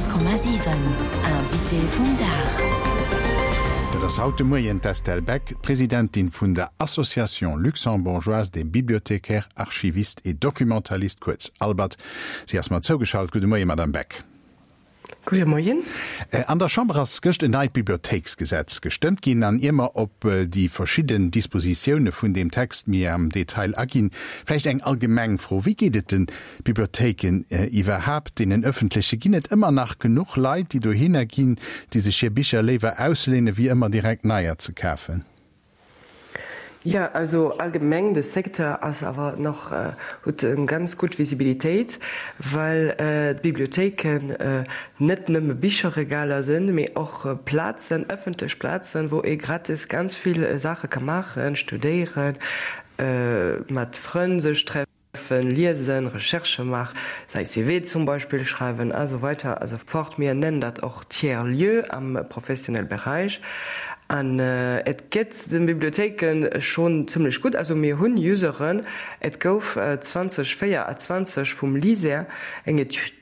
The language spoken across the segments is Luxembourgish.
100,7 Invité vum Dag. Dat ass haut de Moien d'Estelle Beck, d'Presidentin vun der Association luxembourgeoise des bibliothécaires, archivistes et documentalistes, kuerz ALBAD. Si ass mer zougeschalt. Gudde Moien, Madame Beck. Gudde Moien. An der Chamber ass gëscht en neit Bibliothéiksgesetz gestëmmt ginn. An ier mer op déi verschidden Dispositioune vun deem Text méi am Detail aginn, vläicht eng allgemeng Fro, Wéi geet et de Bibliothéiken iwwerhaapt, deenen ëffentleche? Ginn et ëmmer nach genuch Leit, déi dohinner ginn, déi sech hir Bicher léiwer ausléine wéi ëmmer direkt neier ze kafen? Jo, also allgemeng de Secteur ass awer nach, huet eng ganz gutt Visibilitéit, well d'Bibliothéiken net nëmme Bicherregaler sinn, mee och Plazen, ëffentlech Plazen, wou ee gratis ganz vill Saache ka maachen, studéieren, mat Frënn sech treffen. Liesen, Recherchë maachen, säi CV zum Beispill schreiwen a sou weiter a sou fort. Mir nennen dat och Tiers lieux am professionelle Beräich. An et gëtt de Bibliothéike schonn zimmlech gutt. Also mir hunn Useren. Et gouf 2024 vum LISER eng Etüd,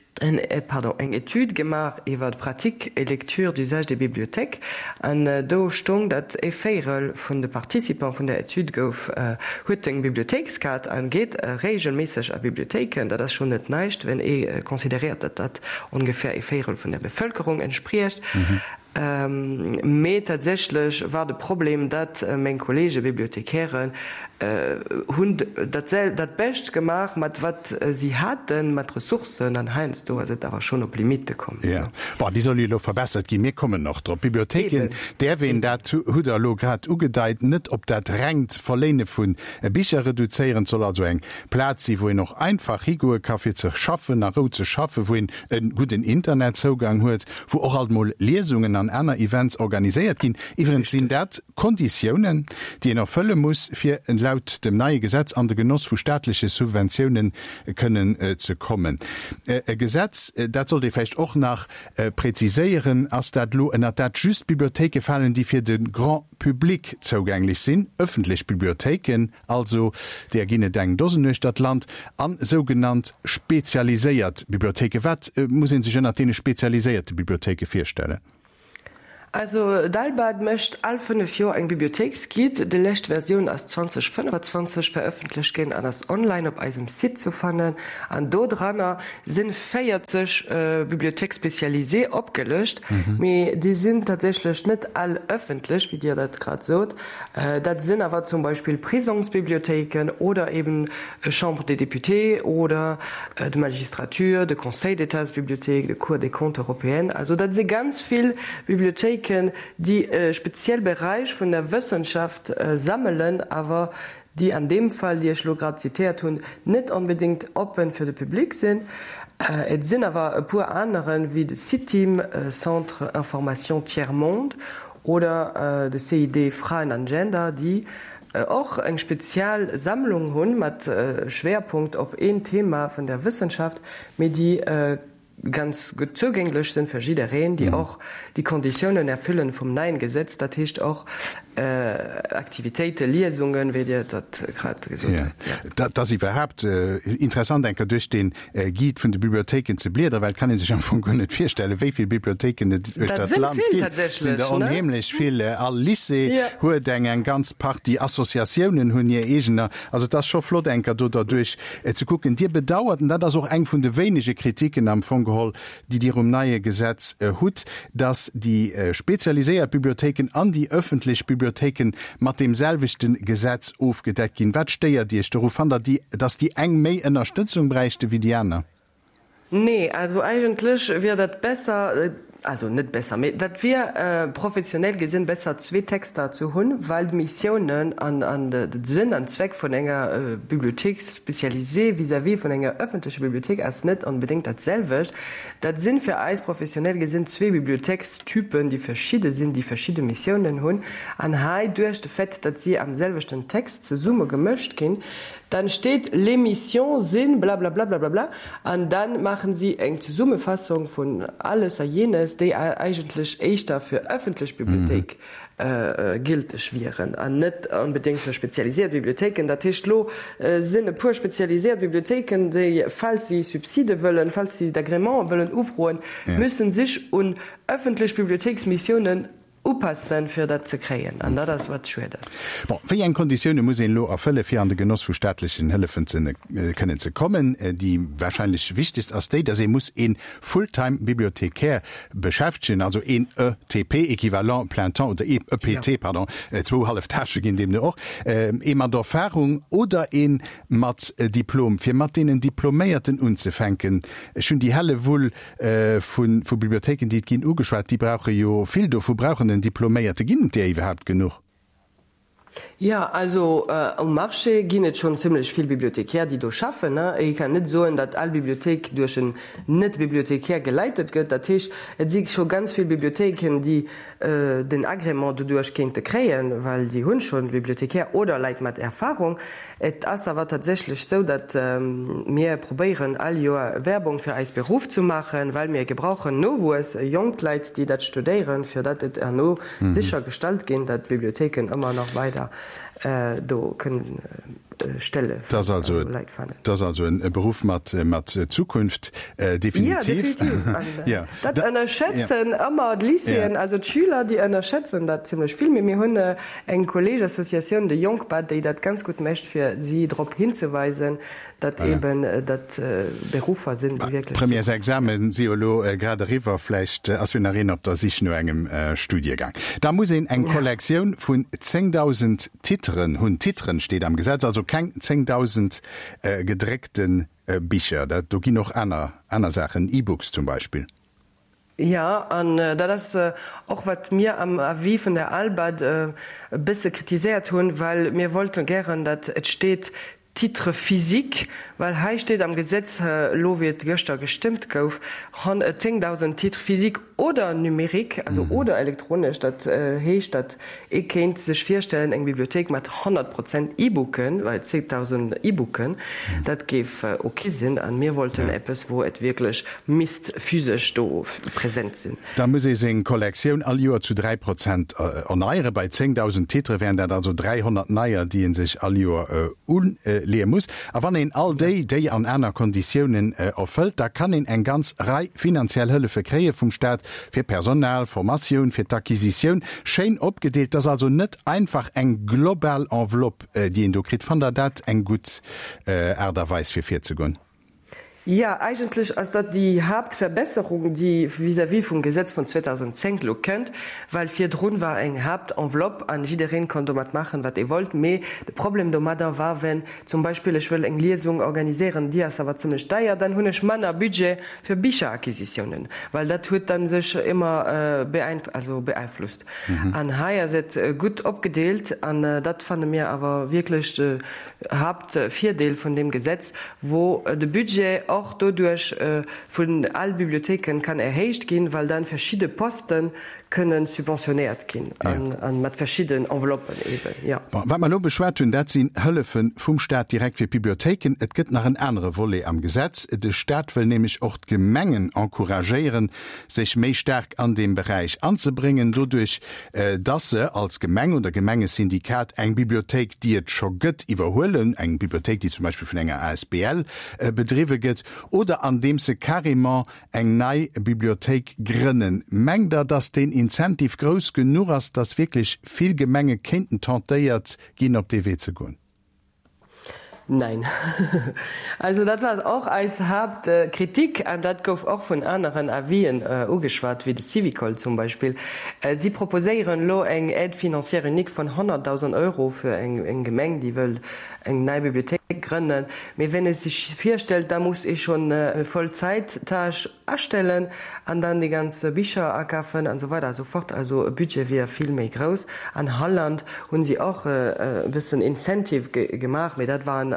pardon, eng Etüd gemaach iwwer d'Pratique et lecture d'usage des bibliothèques an do stoung, datt e Véirel vun de Participants vun der Etüd gouf, huet eng Bibliothéikskaart a geet reegelméisseg a Bibliothéiken. Dat ass schonn net näischt, wenn ee consideréiert, datt dat ongeféier e Véirel vun der Bevëlkerung entspriecht. Mee tatsächlech war de Problem, datt meng Kollege Bibliothecairen hunn dat dat Bescht gemaach mat wat si haten, mat Ressourcen, an heiansdo ass et awer schonn op Limitte komm. Jo, bon, déi soll jo elo verbessert ginn. Mir kommen och drop. D'Bibliothéiken däerf een, dat hutt Der elo grad ugedeit, net op dat rengt Verléine vu Bicher reduzéieren. Et soll also eng Plaz si wou een och einfach higoe ka fir ze schaffen, a Rou ze schaffen, wou een e gudden Internetzougang huet, wou och alt mol Liesungen an aner Events organiséiert ginn. Iwwerens sinn dat Konditiounen, déi een erfëlle muss, fir laut dem neie Gesetz an de Genoss vu staatleche Subventiounen kënnen ze kommen. E Gesetz, dat sollt ee vläicht och nach präziséieren, ass dat elo, ënnert dat just Bibliothéike falen, déi fir de Grand public zougänglech sinn, ëffentlech Bibliothéiken. Also deer ginn et eng Dosen uechter d'Land, an sougenannt spezialiséiert Bibliothéiken. Wat muss ee sech ënnert deene spezialiséierte Bibliothéike virstellen? Also d'ALBAD mécht all 5 Joer eng Bibliothéiksguide. Déi lescht Versioun ass 2025 verëffentlecht ginn an ass online op eisem Site zu fannen. An do dranner sinn 40 Bibliothèques spécialisées opgelëscht, mee déi sinn tatsächlech net all ëffentlech, wéi Dir dat grad sot. Dat sinn awer zum Beispill Prisongsbibliothéiken oder eben Chambre des Députés oder d'Magistrature, de Conseil d'Étatsbibliothéik, de Cour des comptes européenne. Also dat si ganz vill Bibliothéiken, déi e speziell Beräich vun der Wëssenschaft sammelen, awer déi an deem Fall, déi ech elo grad zitéiert hunn, net onbedéngt oppen fir de Public sinn. Et sinn awer e puer aneren, wéi de CITIM, Centre Information Tiers Monde, Oder de CID Fraen an Gender, déi och eng spezial Sammlung hunn, mat Schwerpunkt op een Thema vun der Wëssenschaft, mee déi ganz gutt zougänglech sinn fir jiddereen, déi och déi Konditiounen erfüllen vum neien Gesetz, dat heescht och Aktivitéiten, Liesungen, wéi Dir dat grad gesot hutt. Dat ass iwwerhaapt interessant, eng Kéier duerch dee Guide vun de Bibliothéiken ze bliederen, well et kann ee sech am Fong guer net virstellen, wéi vill Bibliothéiken et uechter d'Land ginn. Et sinn der onheemlech vill. All Lycée huet eng, eng ganz Partie Associatiounen hunn hir eegener. Also et ass scho flott, eng Kéier do derduerch ze kucken. Dir bedauert, an dat ass och eng vun de wéinege Kritiken am Fong geholl, déi Dir um neie Gesetz hutt, dass déi spezialiséiert Bibliothéiken an déi öffentlech Bibliothéiken mat deem selwechte Gesetz ofgedeckt ginn. Wat stéiert Iech doru? Fannt Der, dass déi eng méi Ënnerstëtzung bräichte wéi déi aner? Nee, also eigentlech wier dat besser, also net besser, mee dat wier professionell gesinn besser, zwee Texter ze hunn, well d'Missiounen an de Sënn an Zweck vun enger Bibliothéik spécialisée vis-à-vis vun enger öffentlecher Bibliothéik ass net onbedéngt dat selwecht. Dat sinn fir eis professionell gesinn zwee Bibliothéikstypen, déi verschidde sinn, déi verschidde Missiounen hunn. An hei, duerch de Fait, datt si am selwechten Text zesumme gemëscht ginn, Dann steet les missions sinn blablablablabla an dann maachen si eng Zesummefassung vun alles a jenes, déi eigentlech éischter fir öffentlech Bibliothéik gilteg wieren an net onbedéngt fir spezialisiert Bibliothéiken. Dat heescht, elo sinn e puer spezialisiert Bibliothéiken, déi, falls si Subside wëllen, falls si d'Agrémenten wëllen ufroen, müssen sech un öffentlech Bibliothéiksmissiounen Upassen, fir dat ze kréien. An dat ass, wat schued ass. Bon, wéi eng Konditioune muss een elo erfëlle fir an de Genoss vu staatlechen Hëllefen ze kënnen ze kommen? Déi wahrscheinlech wichtegst ass déi, datt ee muss ee Fulltime-Bibliothécaire beschäftegen, also een ETP, Équivalent plein temps, oder EPT, pardon, zwou hallef Tâchë ginn deemno och, ee mat Erfahrung oder ee mat Diplom. Fir mat deenen Diploméierten unzefänken, ech hunn déi Hellewull Vu Bibliothéiken, déi et ginn, ugeschwat. Déi brauche jo, vill dovu brauchen en Diploméierte. Ginn et där iwwerhaapt genuch? Jo, also um Marché ginn et schonn zimlech vill Bibliothécaires, déi do schaffen. Ee kann net soen, datt all Bibliothéik duerch en Net-Bibliothécaire geleitet gëtt. Dat heescht, et si scho ganz vill Bibliothéiken, déi den Agrément doduerch kéinte kréien, well déi hunn schonn Bibliothécaire oder Leit mat Erfahrung. Et ass awer tatsächlech sou, datt mir probéieren all Joer Werbung fir eis Beruff zu maachen, well mir gebrauchen Nowuess, jonk Leit, déi dat studéieren, fir datt et herno sécher gestallt ginn, datt d'Bibliothéiken ëmmer nach weider do kënnen Stelle fir Leit fannen. Dat ass also e Beruff mat Zukunft, definitiv. Jo, definitiv. Dat ënnerschätzen ëmmer d'Lycéeën, also d'Schüler, déi ënnerschätzen dat zimlech vill. Mee mir hunn Eng Kolleegeassociatioun, de Jonkbad, déi dat ganz gutt mécht, fir si drop hinzeweisen, datt eben dat Beruffer sinn, déi wierklech. D'Premièresexamen si jo elo grad eriwwer, vläicht ass jo nach een op der Sich no engem Studiegang. Da muss een eng Kollektioun vun 10.000 Titeren hunn, Titeren steet am Gesetz, also keng 10.000 gedréckte Bicher. Dat do ginn och aner aner Saachen, E-Books zum Beispill. Jo, an dat ass och, wat mir am Avis vun der ALBAD e bësse kritiséiert hunn, well mir wollte gären, datt et steet Titre physique, well hei steet am Gesetz elo, wéi et gëschter gestëmmt gouf, 10.000 Titres physiques oder numériques, also oder elektronesch. Dat heescht, datt Ee kéint sech virstellen, eng Bibliothéik mat 100 Prozent E-Booken, well 10.000 E-Booken, dat géif ok sinn. A mir wollten eppes, wou et wierklech misst physesch do present sinn. Da muss ee seng Kollektioun all Joer zu 3 Prozent erneieren. Bei 10.000 Titere wären dat also 300 neier, déi ee sech all Joer uleeë muss. A wann een all déi, déi an aner Konditiounen erfëllt, da kann een eng ganz Rei finanziell Hëllefe kréie vum Staat, Fir Personal, Formatioun, fir d'Acquisitioun, schéin opgedeelt. Et ass also net einfach eng global Enveloppe, déi een do kritt. Fannt Der dat eng gutt Aart a Weis, fir virzegoen? Jo, eigentlech ass dat déi Haaptverbesserung, déi vis-à-vis vum Gesetz vun 2010 elo kënnt, well virdrun war eng Haaptenveloppe an jiddereen konnt domat maachen, wat e wollt. Mee de Problem domadder war, wenn zum Beispill ech wëll eng Liesung organiséieren, déi ass awer zimlech deier, dann hunn ech manner Budget fir Bicheracquisitiounen, well dat huet dann sech ëmmer also beeinflusst. An hei ass et gutt opgedeelt an dat fanne mir awer wierklech de Haaptvirdeel vun deem Gesetz, wou de Budget och doduerch vun all Bibliothéiken kann erhéicht ginn, well dann verschidde Posten kënnen subventionéiert ginn a mat verschidden Enveloppen eben, jo. Bon, wat mer elo beschwat hunn, dat sinn Hëllefe vum Stat direkt fir d'Bibliothéiken. Et gëtt nach en anere Volet am Gesetz. De Stat wëll nämlech och d'Gemengen encouragéieren, sech méi staark an deem Beräich anzebréngen, doduerch dass se als Gemeng oder Gemengesyndikat eng Bibliothéik, déi et scho gëtt, iwwerhuelen, eng Bibliothéik, déi zum Beispill vun enger asbl bedriwwe gëtt, oder andeems se carrément eng nei Bibliothéik grënnen. Mengt Der, dass deen Incentive grouss genuch ass, dass wierklech vill Gemenge kéinten tentéiert ginn, op dee Wee ze goen? Nein. Also dat war och eis Haaptkritik an dat gouf och vun aneren Avisen ugeschwat, wéi de Syvicol zum Beispill. Si proposéieren elo eng Aide financière unique vun 100.000 Euro fir eng Gemeng, déi wëll eng nei Bibliothéik grënnen. Mee wenn ee sech virstellt, da muss ee schonn e Vollzäittâche astellen an dann déi ganz Bicher akafen an esou weider a sou fort. Also e Budget wier vill méi grouss. An Holland hunn si och e bëssen Incentive gemaach, mee dat waren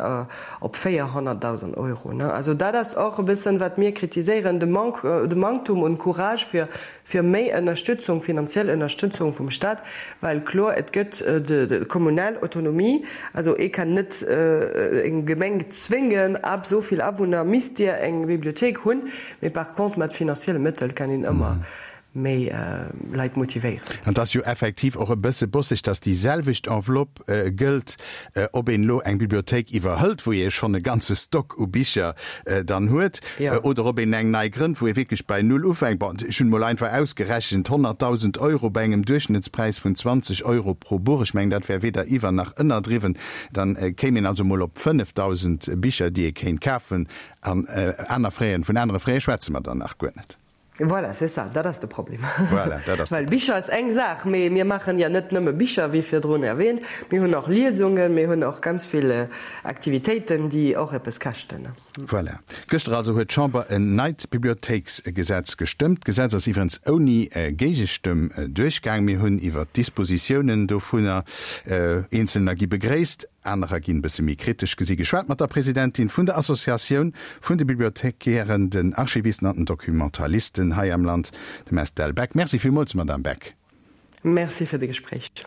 op 400.000 Euro. Also dat ass och e bëssen, wat mir kritiséieren, de Manque, de Manktum un Courage fir fir méi Ënnerstützung, finanziell Ënnerstützung vum Stat, well kloer, et gëtt de kommunal Autonomie, also ee kann net. net eng Gemeng zwéngen, ab esou vill Awunner misst Dir eng Bibliothéik hunn, mee par contre mat finanzielle Mëttel kann een ëmmer méi Leit motivéieren. An et ass jo effektiv och e bësse bosseg, dass déi selwecht Enveloppe gëllt, ob een elo eng Bibliothéik iwwerhëlt, wou ee schonn e ganze Stock u Bicher dann huet, oder ob een eng nei grënnt, wou ee wierklech bei Null ufänkt. Bon, ech hunn emol einfach ausgerechent, 100.000 Euro bei engem Duerchschnëttspräis vun 20 Euro pro Buch, ech mengen, dat wär weder iwwer nach ënnerdriwwen, dann kéim een also emol op 5.000 Bicher, déi ee kéint kafen. An aner Fräen, vun anere Fräe schwätze mer dann nach guer net. Voilà, c'est ça, dat ass de Problem. Voilà, dat ass de Well Bicher ass eng Saach, mee mir maachen ja net nëmme Bicher, wéi virdrun erwähnt. Mir hunn och Liesungen, mir hunn och ganz vill Aktivitéiten, déi och eppes käschten. Voilà. Gëschter also huet d'Chamber en neit Bibliothéiksgesetz gestëmmt. D'Gesetz ass iwwerens ouni Géigestëmm duerchgaang. Mir hunn iwwert d'Dispositiounen dovunner, eenzelner gi begréisst, Anerer ginn e bësse méi kritesch gesi geschwat mat der Presidentin vun der Associatioun vun de Bibliothekären, den Archivisten an den Documentalisten hei am Land, dem Estelle Beck. Merci villmools, Madamm Beck. Merci fir de Gespréich.